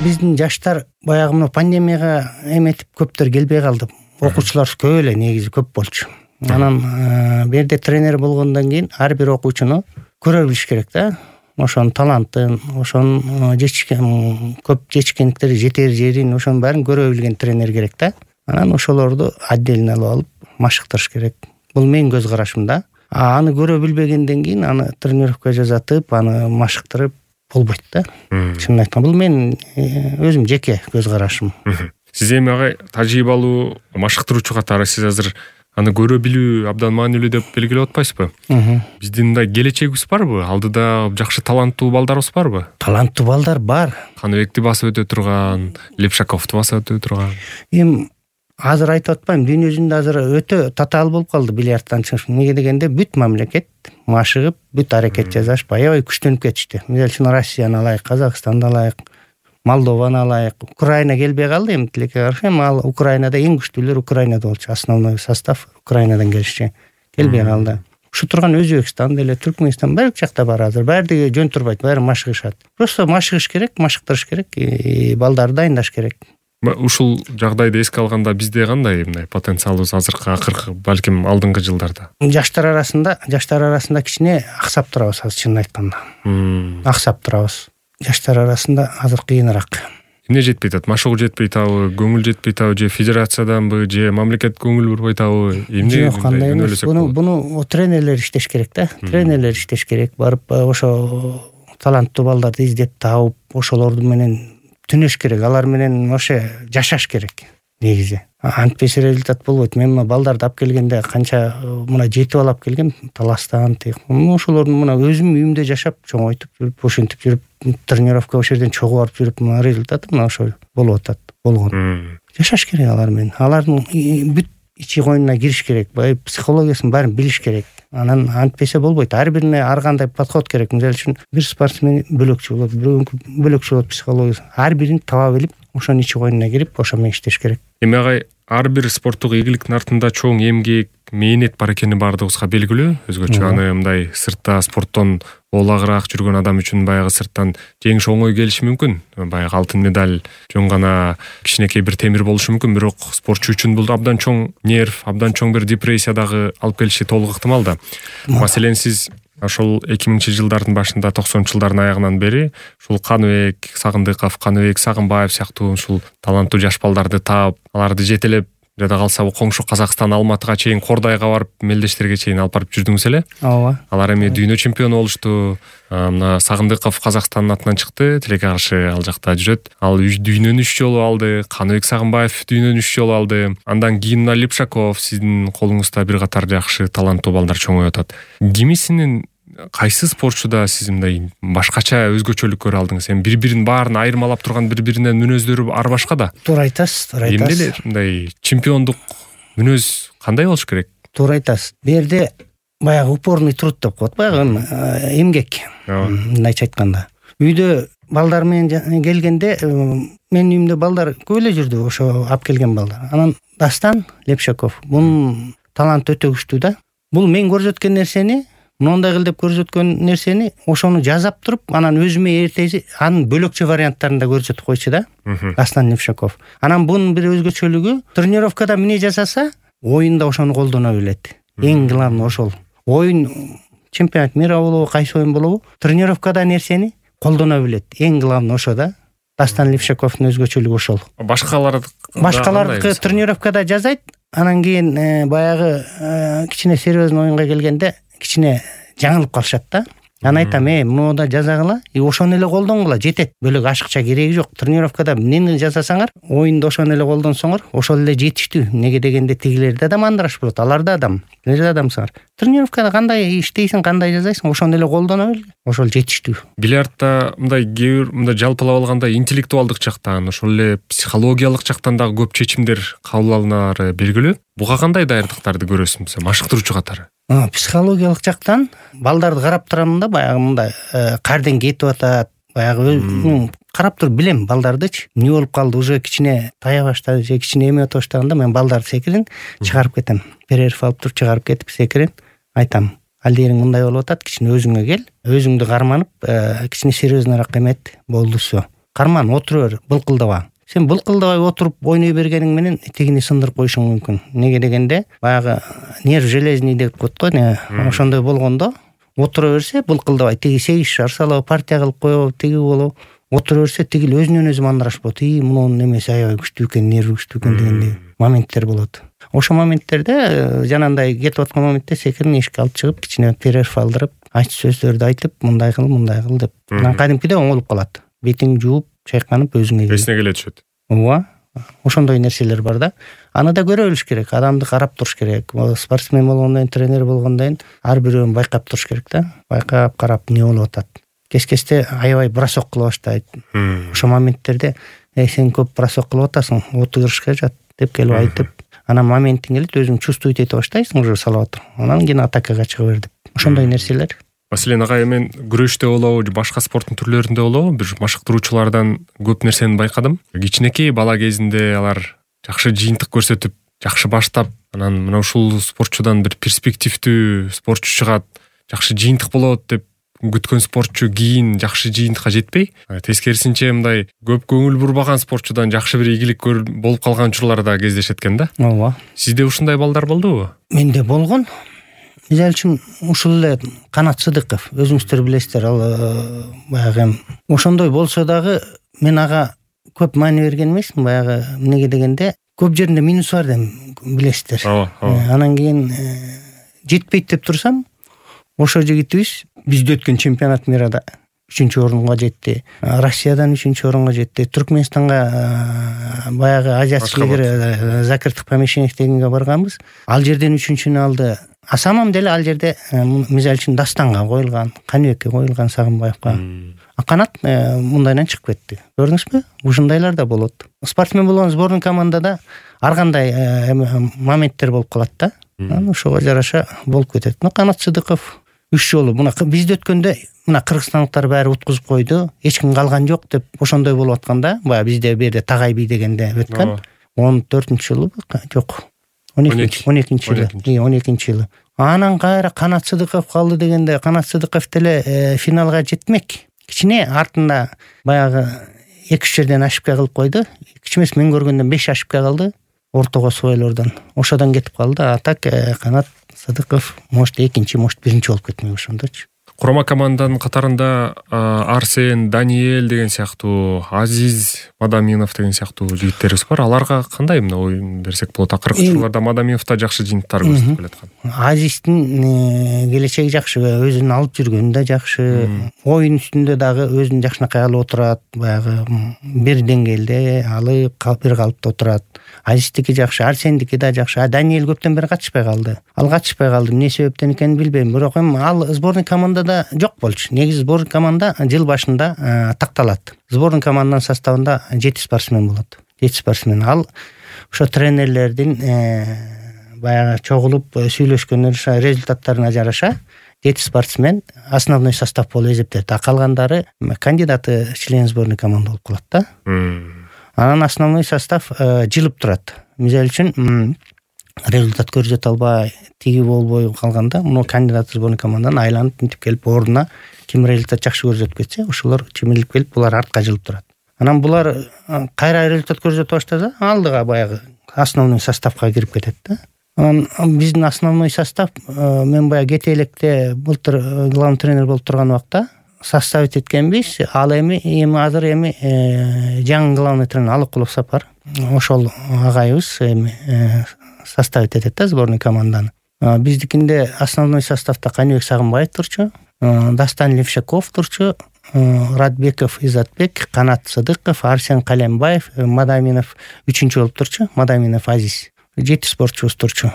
биздин жаштар баягы мына пандемияга эметип көптөр келбей калды. Окуучулар көп эле негизи көп болчу. Анан берде тренер болгондон кийин ар бир окуучуну көрө билиш керек да. Ошонун талантын, ошонун көп жетишкендиктери, жетер жерин, ошонун баарын көрө билген тренер керек да. Анан ошолорду отдельно алып алып машыктырыш керек. Бул менин көз карашым да. Аны көрө билбегенден кийин аны тренировка жасатып, аны машыктырып болбойт да. Чынын айтканда бул менин өзүм жеке көз карашым. Сиз эми агай тажрыйбалуу машыктыруучу катары сиз азыр аны көрө билүү абдан маанилүү деп белгилеп атпайсызбы? Биздин мындай келечегибиз барбы? Алдыда жакшы таланттуу балдарыбыз барбы? Таланттуу балдар бар. Каныбекти басып өтө турган, Лепшаковду басып өтө турган. Эми азыр айтып атпайм, дүйнө жүзүндө азыр өтө татаал болуп калды бильярдтан чыгыш. Неге дегенде бүт мамлекет машыгып, бүт аракет жасашып, аябай күчтөнүп кетишти. Мисалы үчүн Россияны алайык, Казакстанды алайык, Молдованы алайык. Украина келбей калды эми тилекке каршы. Эми ал Украинада эң күчтүүлөр Украинада болчу. Основной состав Украинадан келишчи. Келбей калды. Ушу турган Өзбекстан деле, Түркмөнстан баары жакта бар азыр. Баардыгы жөн турбайт, баары машыгышат. Просто машыгыш керек, машыктырыш керек, балдарды дайындаш керек. Ушул жагдайды эске алганда бизде кандай мындай потенциалыбыз акыркы балким алдыңкы жылдарда? Жаштар арасында кичине аксап турабыз азыр, чынын айтканда. Аксап турабыз. Жаштар арасында азыр кыйыныраак. Эмне жетпей атат? Машыгуу жетпей атабы, көңүл жетпей атабы, же федерацияданбы, же мамлекет көңүл бурбай атабы? Эмне? Жок, кандай эмес. Буну тренерлер иштеш керек да. Тренерлер иштеш керек. Барып ошо таланттуу балдарды издеп таап, ошолорду менен түнөш керек. Алар менен ошо жашаш керек негизи. Антпесе результат болбойт. Мен мына балдарды алып келгенде канча мына жетип алып келгем, Таластан тек. Ошолорду мына өзүм үйүмдө жашап, чоңойтуп жүрүп, ошентип жүрүп, тренировка ошол жерден чогуу барып жүрүп, мына результаты мына ошол болуп атат. Болгон. Жашаш керек алар менен. Алардын бүт ичи коюнуна кириш керек. Бай психологиясын баарын билиш керек. Анан антпесе болбойт. Ар бирине ар кандай подход керек. Мисалы үчүн бир спортсмен бөлөкчү болот, бирөөнүкү бөлөкчү болот психологиясы. Ар бирин таба билип, ошонун ичи коюнуна кирип, ошо менен иштеш керек. Эми агай ар бир спорттук ийгиликтин артында чоң эмгек, мээнет бар экени баардыгыбызга белгилүү. Өзгөчө аны мындай сыртта спорттон олагыраак жүргөн адам үчүн баягы сырттан жеңиш оңой келиши мүмкүн. Баягы алтын медаль жөн гана кичинекей бир темир болушу мүмкүн, бирок спортчу үчүн бул абдан чоң нерв, абдан чоң бир депрессия дагы алып келиши толук ыктымал да. Маселен сиз ошол 2000 жылдардын башында, 90 жылдардын аягынан бери ушул Каныбек Сагындыков, Каныбек Сагынбаев сыяктуу ушул таланттуу жаш балдарды таап, аларды жетелеп, жада калса коңшу Казакстан, Алматыга чейин, Кордайга барып, мелдештерге чейин алып барып жүрдүңүз эле. Ооба. Алар эми дүйнө чемпиону болушту. Мына Сагындыков Казакстандын атынан чыкты, тилекке каршы ал жакта жүрөт. Ал дүйнөнү 3 жолу алды. Каныбек Сагынбаев дүйнөнү 3 жолу алды. Андан кийин Лепшаков, сиздин колуңузда бир катар жакшы таланттуу балдар чоңоюп атат. Кимисинин кайсы спортчуда сиз мындай башкача өзгөчөлүк көрө алдыңыз? Эми бири-бирин баарын айырмалап турган бири-биринен мүнөздөрү ар башка да. Туура айтасыз, туура айтасыз. Эмне мындай чемпиондук мүнөз кандай болуш керек? Туура айтасыз. Бу жерде баягы упорный труд деп коет, баягы эмгек. Мындайча айтканда. Үйдө балдар менен келгенде, менин үйүмдө балдар көп эле жүрдү, ошо алып келген балдар. Анан Дастан Лепшаков, бунун таланты өтө күчтүү да. Бул мен көрсөткөн нерсени, мындай кыл деп көрсөткөн нерсени ошону жазап туруп, анан өзүмө эртеси анын бөлөкчө варианттарын да көрсөтүп койчу да. Дастан Лепшаков. Анан бунун бир өзгөчөлүгү, тренировкада эмне жасаса, оюнда ошону колдоно билет. Эң главный ошол. Оюн чемпионат мира болобу, кайсы оюн болобу, тренировкада нерсени колдоно билет. Эң главный ошо да. Дастан Лепшаковдун өзгөчөлүгү ошол. Башкалардыкы тренировкада жазайт, анан кийин баягы кичине серьезный оюнга келгенде кичине жаңылып калышат да. Аны айтам, муну да жазагыла, ошону эле колдонгула, жетет. Бөлөк ашыкча кереги жок. Тренировкада эмнени жасасаңар, оюнда ошону эле колдонсоңор, ошол эле жетиштүү. Неге дегенде тигилерде да мандыраш болот, алар да адам. Силер да адамсыңар. Тренировкада кандай иштейсиң, кандай жасайсың, ошону эле колдоно бил. Ошол жетиштүү. Бильярдта мындай жалпылап алганда интеллектуалдык жактан, ошол эле психологиялык жактан дагы көп чечимдер кабыл алынаары белгилүү. Буга кандай даярдыктарды көрөсүңүз, машыктыруучу катары? Психологиялык жактан балдарды карап турам да, баягы мындай карден кетип атат, баягы карап туруп билем балдардычы. Эмне болуп калды, уже кичине тая баштады, же кичине эме өтө баштаганда мен балдарды секирин чыгарып кетем. Перерыв алып туруп чыгарып кетип секирин, айтам, алдериң мындай болуп атат, кичине өзүңө кел, өзүңдү карманып, кичине серьезныйраак эмет, болду всё. карман отура бер, былкылдаба. Сен былкылдабай отуруп ойной бергениң менен тигини сындырып коюшуң мүмкүн. Неге дегенде баягы нерв железный деп коет го, ошондой болгондо отура берсе былкылдабай тиги 8 шар салып партия кылып коебу, тиги болобу, отура берсе тигил өзүнөн өзү мандраш болот. Мунун немеси аябай күчтүү экен, нерви күчтүү экен дегендей моменттер болот. Ошо моменттерде жанагындай кетип аткан моментте секирин эшикке алып чыгып, кичине перерв алдырып, айтчу сөздөрдү айтып, мындай кыл деп. Анан кадимкидей оңолуп калат. Бетиң жууп, чайканып өзүңө эсине келе түшөт. Ооба. Ошондой нерселер бар да. Аны да көрө билиш керек, адамды карап туруш керек. Спортсмен болгондон кийин, тренер болгондон кийин ар бирөөнү байкап туруш керек да. Байкап, карап эмне болуп атат. Кес-кесте аябай бросок кыла баштайт. Ошо моменттерде сен көп бросок кылып атасың, отурушка жат деп келип айтып, анан моментиң келет, өзүң чувствовать эте баштайсың, уже салып атып. Анан кийин атакага чыга бер деп. Ошондой нерселер. Василий агай, мен күрөштө болобу, башка спорттун түрлөрүндө болобу, бир машыктыруучулардан көп нерсени байкадым. Кичинекей бала кезинде алар жакшы жыйынтык көрсөтүп, жакшы баштап, анан мына ушул спортчудан бир перспективдүү спортчу чыгат, жакшы жыйынтык болот деп күткөн спортчу кийин жакшы жыйынтыкка жетпей, тескерисинче мындай көп көңүл бурбаган спортчудан жакшы бир ийгилик болуп калган учурлар да кездешет экен да. Ооба. Сизде ушундай балдар болдубу? Менде болгон. Мисалы үчүн ушул эле Канат Сыдыков, өзүңүздөр билесиздер, ал баягы ошондой болсо дагы мен ага көп маани берген эмесмин. Баягы эмнеге дегенде көп жеринде минус бар деп билесиздер. Анан кийин жетпейт деп турсам, ошо жигитибиз бизде өткөн чемпионат мирада 3-орунга жетти. Россиядан 3-орунга жетти. Түркмөнстанга баягы азиатский лидер закрытых помещениях дегенге барганбыз. Ал жерден 3-нчүнү алды. А самом деле ал жерде мисалы үчүн Дастанга коюлган, Каныбекке коюлган, Сагынбаевка. А Канат мындайдан чыгып кетти. Көрдүңүзбү? Ушундайлар да болот. Спортсмен болгон сборный командада ар кандай моменттер болуп калат да. Ошого жараша болуп кетет. Канат Сыдыков 3 жолу мына бизде өткөндө мына кыргызстандыктар баары уткузуп койду, эч ким калган жок деп ошондой болуп атканда, баягы бизде берде Тагай би дегенде өткөн 14-жылы жок. 12-жылы. Анан кайра Канат Сыдыков калды дегенде, Канат Сыдыков деле финалга жетмек. Кичине артында баягы 2-3 жерден ошибка кылып койду. Кичи эмес, мен көргөндөн 5 ошибка калды. Ортого свойлордон. Ошодон кетип калды. А так Канат Сыдыков может 2-чи, может 1-чи болуп кетмек ошондочу. Курама команданын катарында Арсен, Даниэль деген сыяктуу, Азиз Мадаминов деген сыяктуу жигиттерибиз бар. Аларга кандай эмне ой берсек болот? Акыркы учурларда Мадаминов да жакшы жыйынтыктар көрсөтүп келаткан. Азиздин келечеги жакшы, өзүн алып жүргөнү да жакшы. Оюн үстүндө дагы өзүн жакшынакай алып отурат, баягы бир деңгээлде алып, бир калыпта отурат. Азиздики жакшы, Арсендики да жакшы. Даниэль көптөн бери катышпай калды. Ал катышпай калды. Эмне себептен экенин билбейм. Бирок ал сборный командада жок болчу. Негизи сборный команда жыл башында такталат. Сборный команданын составында 7 спортсмен болот. 7 спортсмен. Ал ошо тренерлердин баягы чогулуп сүйлөшкөн результаттарына жараша 7 спортсмен основной состав болуп эсептелет. А калгандары кандидаты член сборной команды болуп калат да. Анан основной состав жылып турат. Мисалы үчүн результат көрсөтө албай, тиги болбой калганда, муну кандидат сборный командадан айланып мынтип келип ордуна ким результат жакшы көрсөтүп кетсе, ошолор чемелип келип булар артка жылып турат. Анан булар кайра результат көрсөтө баштаса, алдыга баягы основной составка кирип кетет да. Анан биздин основной состав мен баягы кете электе былтыр главный тренер болуп турган убакта составить эткенбиз. Ал эми азыр жаңы главный тренер Алыкулов Сапар. Ошол агайыбыз составить этет да сборный команданы. Биздикинде основной составда Каныбек Сагынбаев турчу, Дастан Левшаков турчу, Радбеков Изатбек, Канат Сыдыков, Арсен Калембаев, Мадаминов 3-чү болуп турчу, Мадаминов Азиз. 7 спортчубуз турчу.